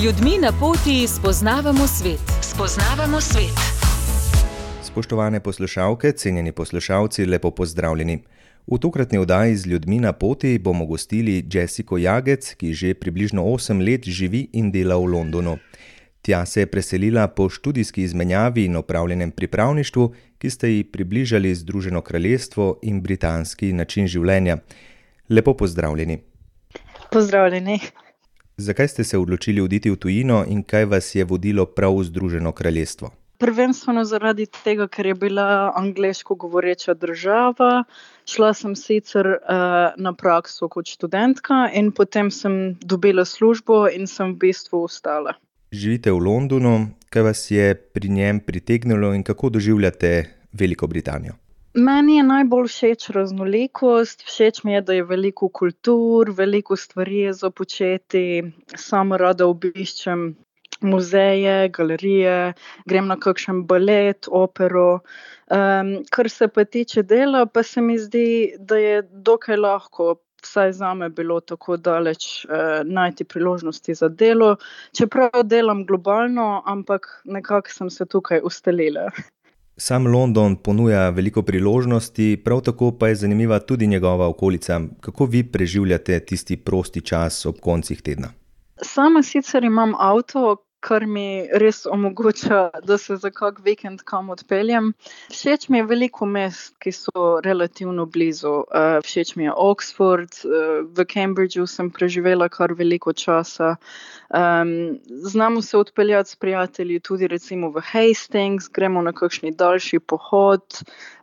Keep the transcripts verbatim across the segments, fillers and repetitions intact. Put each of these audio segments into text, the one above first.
ljudmi na poti spoznavamo svet. Spoznavamo svet. Spoštovane poslušalke, cenjeni poslušalci, lepo pozdravljeni. V tokratni oddaji z ljudmi na poti bomo gostili Jessico Jagec, ki že približno osem let živi in dela v Londonu. Tja se je preselila po študijski izmenjavi in opravljenem pripravništvu, ki sta ji približali Združeno kraljestvo in britanski način življenja. Lepo pozdravljeni. Pozdravljeni. Zakaj ste se odločili oditi v tujino in kaj vas je vodilo prav v Združeno kraljestvo? Prvenstveno zaradi tega, ker je bila angleško govoreča država. Šla sem sicer uh, na prakso kot študentka in potem sem dobila službo in sem v bistvu ostala. Živite v Londonu, kaj vas je pri njem pritegnilo in kako doživljate Veliko Britanijo? Meni je najbolj všeč raznolikost, všeč mi je, da je veliko kultur, veliko stvari je za početi, sama rada obiščem muzeje, galerije, grem na kakšen balet, opero. Um, kar se pa tiče dela, pa se mi zdi, da je dokaj lahko, vsaj zame bilo tako daleč uh, najti priložnosti za delo, čeprav delam globalno, ampak nekako sem se tukaj ustalila. Sam London ponuja veliko priložnosti, prav tako pa je zanimiva tudi njegova okolica. Kako vi preživljate tisti prosti čas ob koncih tedna? Sama sicer imam avto, kar mi res omogoča, da se za kak vikend kam odpeljem. Všeč mi je veliko mest, ki so relativno blizu. Uh, všeč mi je Oxford, uh, v Cambridgeu sem preživela kar veliko časa. Um, znamo se odpeljati s prijatelji tudi recimo v Hastings, gremo na kakšni daljši pohod.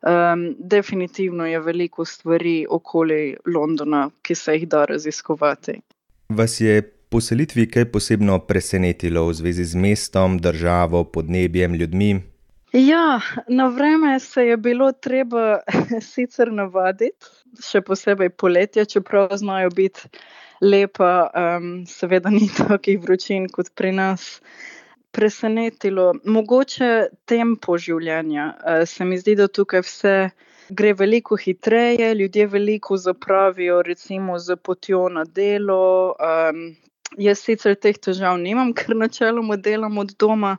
Um, definitivno je veliko stvari okoli Londona, ki se jih da raziskovati. Vas je po selitvi kaj posebno presenetilo v zvezi z mestom, državo, podnebjem, ljudmi? Ja, na vreme se je bilo treba sicer navaditi, še posebej poletje, čeprav znajo biti lepa, um, seveda ni takih vročin kot pri nas. Presenetilo, mogoče tempo življenja. Uh, se mi zdi, da tukaj vse gre veliko hitreje, ljudje veliko zapravijo recimo z potjo na delo. Um, jaz sicer teh težav nimam, ker načeloma delam od doma,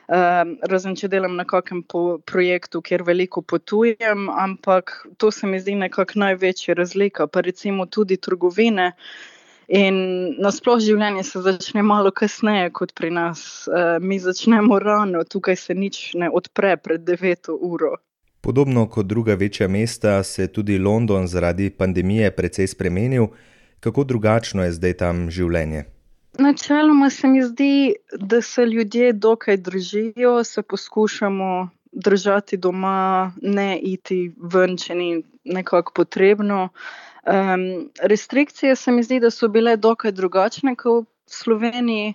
um, razen če delam na kakem po projektu, kjer veliko potujem, ampak to se mi zdi nekako največja razlika, pa recimo tudi trgovine. In nasploh življenje se začne malo kasneje kot pri nas. Uh, mi začnemo rano, tukaj se nič ne odpre pred deveto uro. Podobno kot druga večja mesta se tudi London zaradi pandemije precej spremenil. Kako drugačno je zdaj tam življenje? Načeloma se mi zdi, da se ljudje dokaj držijo, se poskušamo držati doma, ne iti ven, če ni nekako potrebno. Um, restrikcije se mi zdi, da so bile dokaj drugačne kot v Sloveniji.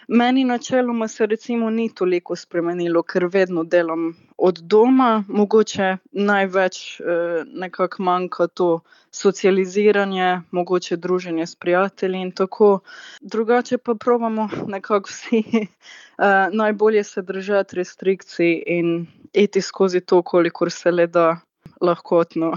Meni načeloma se recimo ni toliko spremenilo, ker vedno delam od doma, mogoče največ eh, nekako manjka to socializiranje, mogoče druženje s prijatelji in tako. Drugače pa probamo nekako vsi eh, najbolje se držati restrikcij in iti skozi to, kolikor se le da lahkotno.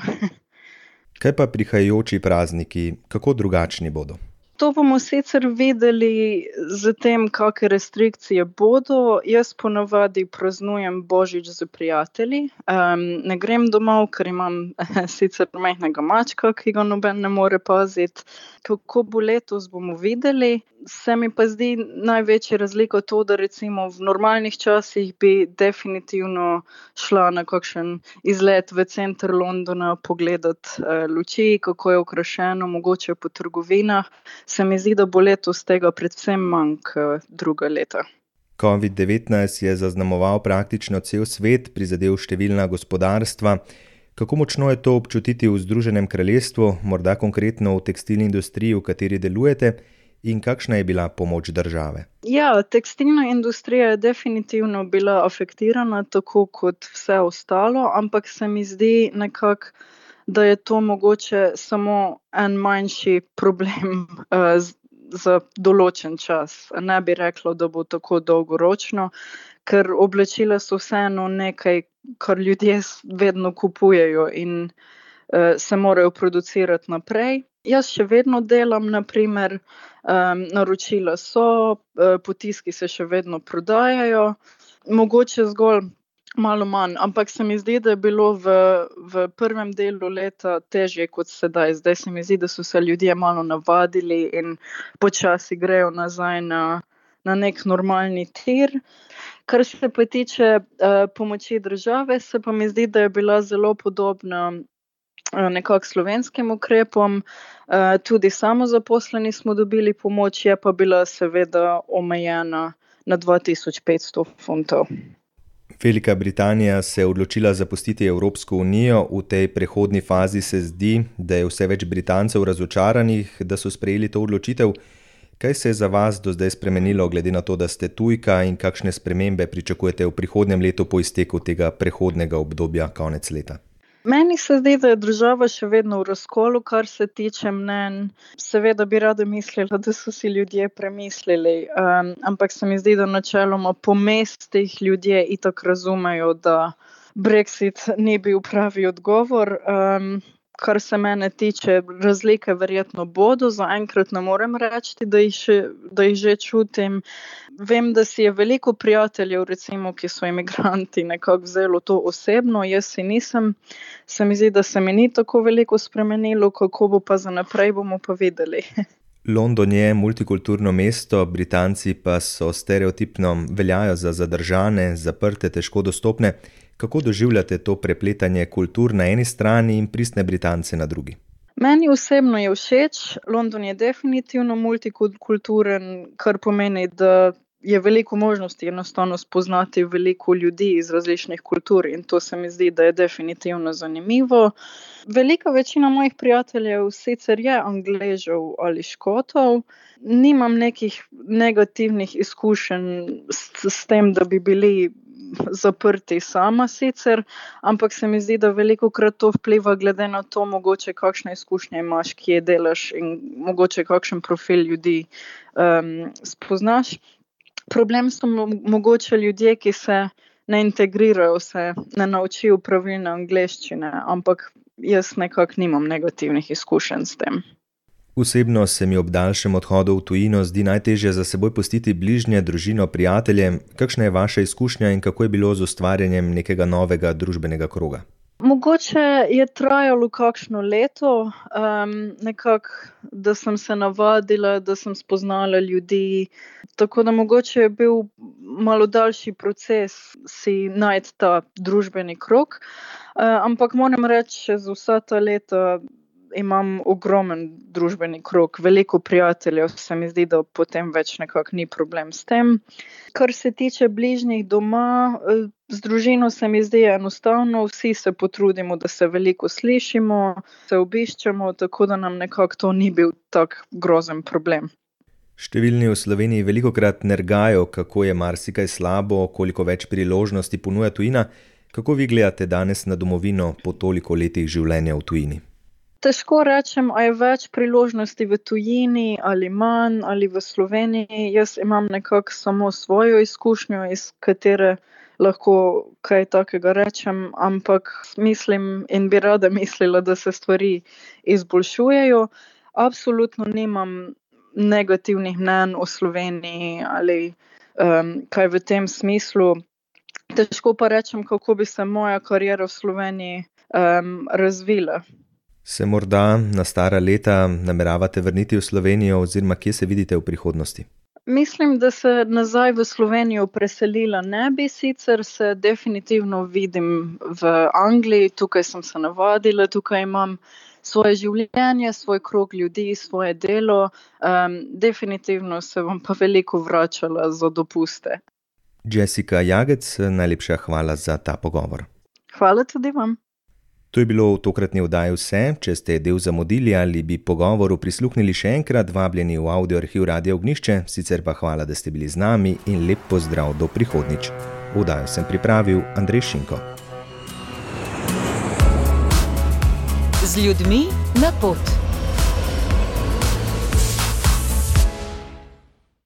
Kaj pa prihajajoči prazniki, kako drugačni bodo? To bomo sicer videli z tem, kakšne restrikcije bodo. Jaz ponavadi praznujem Božič z prijatelji. Um, ne grem domov, ker imam sicer majhnega mačka, ki ga noben ne more paziti. Kako bo letos, bomo videli. Se mi pa zdi največja razlika to, da recimo v normalnih časih bi definitivno šla na kakšen izlet v center Londona pogledati uh, luči, kako je okrašeno, mogoče po trgovinah. Se mi zdi, da bo letos tega predvsem manj kot druga leta. covid devetnajst je zaznamoval praktično cel svet, prizadel številna gospodarstva. Kako močno je to občutiti v Združenem kraljestvu, morda konkretno v tekstilni industriji, v kateri delujete, in kakšna je bila pomoč države? Ja, tekstilna industrija je definitivno bila afektirana, tako kot vse ostalo, ampak se mi zdi nekako, da je to mogoče samo en manjši problem uh, za določen čas. Ne bi rekla, da bo tako dolgoročno, ker oblačila so vseeno nekaj, kar ljudje vedno kupujejo in uh, se morajo producirati naprej. Jaz še vedno delam, naprimer, Um, naročila so, potiski se še vedno prodajajo, mogoče zgolj malo manj, ampak se mi zdi, da je bilo v, v prvem delu leta težje kot sedaj. Zdaj se mi zdi, da so se ljudje malo navadili in počasi grejo nazaj na, na nek normalni tir. Kar se pa tiče uh, pomoči države, se pa mi zdi, da je bila zelo podobna uh, nekako slovenskim ukrepom. Uh, tudi samozaposleni smo dobili pomoč, je pa bila seveda omejena na dva tisoč petsto funtov. Velika Britanija se je odločila zapustiti Evropsko unijo. V tej prehodni fazi se zdi, da je vse več Britancev razočaranih, da so sprejeli to odločitev. Kaj se je za vas do zdaj spremenilo, glede na to, da ste tujka, in kakšne spremembe pričakujete v prihodnjem letu po izteku tega prehodnega obdobja konec leta? Meni se zdi, da je država še vedno v razkolu, kar se tiče mnenj. Seveda bi rada mislila, da so si ljudje premislili, um, ampak se mi zdi, da načeloma po mestih ljudje itak razumejo, da Brexit ni bil pravi odgovor. Um, Kar se mene tiče, razlike verjetno bodo, zaenkrat ne morem reči, da jih, še, da jih že čutim. Vem, da si je veliko prijateljev, recimo, ki so imigranti, nekako vzelo to osebno, jaz si nisem. Se mi zdi, da se mi ni tako veliko spremenilo, kako bo pa za naprej, bomo pa videli. London je multikulturno mesto, Britanci pa so stereotipno veljajo za zadržane, zaprte, težko dostopne. Kako doživljate to prepletanje kultur na eni strani in pristne Britance na drugi? Meni osebno je všeč. London je definitivno multikulturen, kar pomeni, da je veliko možnosti enostavno spoznati veliko ljudi iz različnih kultur in to se mi zdi, da je definitivno zanimivo. Velika večina mojih prijateljev sicer je Angležev ali Škotov. Nimam nekih negativnih izkušenj s, s tem, da bi bili zaprti sama sicer, ampak se mi zdi, da veliko krat to vpliva glede na to, mogoče kakšne izkušnje imaš, kje delaš in mogoče kakšen profil ljudi um, spoznaš. Problem so mogoče ljudje, ki se ne integrirajo, se ne naučijo pravilne angleščine, ampak jaz nekako nimam negativnih izkušenj s tem. Osebno se mi ob daljšem odhodu v tujino zdi najtežje za seboj pustiti bližnje, družino, prijatelje. Kakšna je vaša izkušnja in kako je bilo z ustvarjanjem nekega novega družbenega kroga? Mogoče je trajalo kakšno leto, um, nekako, da sem se navadila, da sem spoznala ljudi, tako da mogoče je bil malo daljši proces si najti ta družbeni krog, uh, ampak moram reči, čez vsa ta leta imam ogromen družbeni krog, veliko prijateljev, se mi zdi, da potem več nekako ni problem s tem. Kar se tiče bližnjih doma, z družino se mi zdi enostavno, vsi se potrudimo, da se veliko slišimo, se obiščemo, tako da nam nekako to ni bil tak grozen problem. Številni v Sloveniji velikokrat nergajo, kako je marsikaj slabo, koliko več priložnosti ponuja tujina. Kako vi gledate danes na domovino po toliko letih življenja v tujini? Težko rečem, a je več priložnosti v tujini ali manj ali v Sloveniji. Jaz imam nekako samo svojo izkušnjo, iz katere lahko kaj takega rečem, ampak mislim in bi rada mislila, da se stvari izboljšujejo. Absolutno nimam negativnih mnenj o Sloveniji ali um, kaj v tem smislu. Težko pa rečem, kako bi se moja kariera v Sloveniji um, razvila. Se morda na stara leta nameravate vrniti v Slovenijo oziroma kje se vidite v prihodnosti? Mislim, da se nazaj v Slovenijo preselila ne bi, sicer se definitivno vidim v Angliji, tukaj sem se navadila, tukaj imam svoje življenje, svoj krog ljudi, svoje delo, um, definitivno se bom pa veliko vračala za dopuste. Jessica Jagec, najlepša hvala za ta pogovor. Hvala tudi vam. To je bilo v tokratni oddaji vse. Če ste del zamudili ali bi pogovoru prisluhnili še enkrat, vabljeni v audio arhiv Radia Ognjišče, sicer pa hvala, da ste bili z nami in lep pozdrav do prihodnjič. Oddajo sem pripravil Andrej Šinko. Z ljudmi na pot.